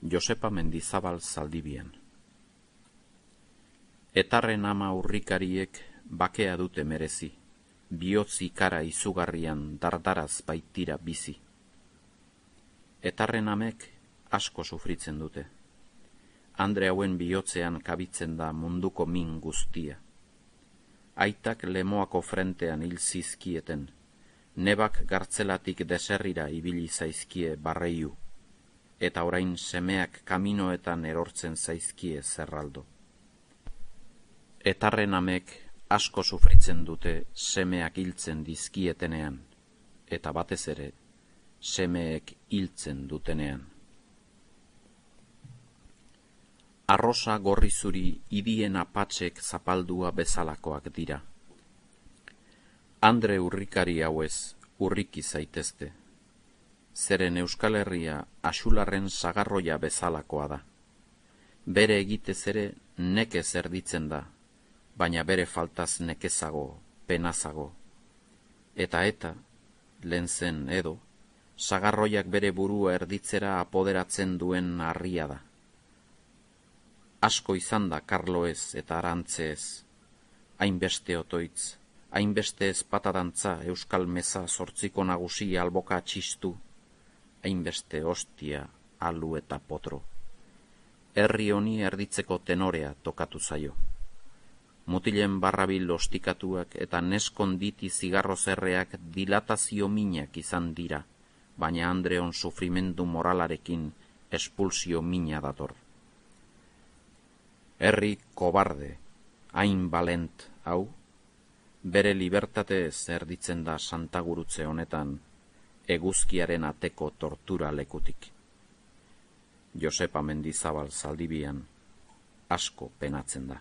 Josepa Mendizabal Zaldibian. Etarren ama urrikariek bakea dute merezi, bihotz ikara izugarrian dardaraz baitira bizi. Etarren amek asko sufritzen dute. Andre hauen bihotzean kabitzen da munduko min guztia. Aitak lemoako frentean hil zizkieten, nebak gartzelatik deserrira ibili zaizkie barreiu, eta orain semeak kaminoetan erortzen zaizkie zerraldo. Etarren amek asko sufritzen dute semeak hiltzen dizkietenean, eta batez ere semeek hiltzen dutenean. Arrosa gorri zuri idien apatzek zapaldua bezalakoak dira. Andre urrikari hauez urriki zaitezte. Zeren Euskal Herria axularren sagarroia bezalakoa da. Bere egitez ere nekez erditzen da, baina bere faltaz nekezago, penazago. Eta, lehen zen edo, sagarroiak bere burua erditzera apoderatzen duen harria da. Asko izan da karloez eta arantzeez, hainbeste otoitz, hainbeste ezpatadantza euskal meza zortziko nagusi alboka txistu, hainbeste ostia, alu eta potro. Herri honi erditzeko tenorea tokatu zaio. Mutilen barrabil ostikatuak eta neskonditi zigarrozerreak dilatazio minak izan dira, baina Andreon sufrimendu moralarekin espulsio mina dator. Herri kobarde, hain balent hau, bere libertatez erditzen da santagurutze honetan, eguzkiaren ateko tortura lekutik. Josepa Mendizabal Zaldibian asko penatzen da.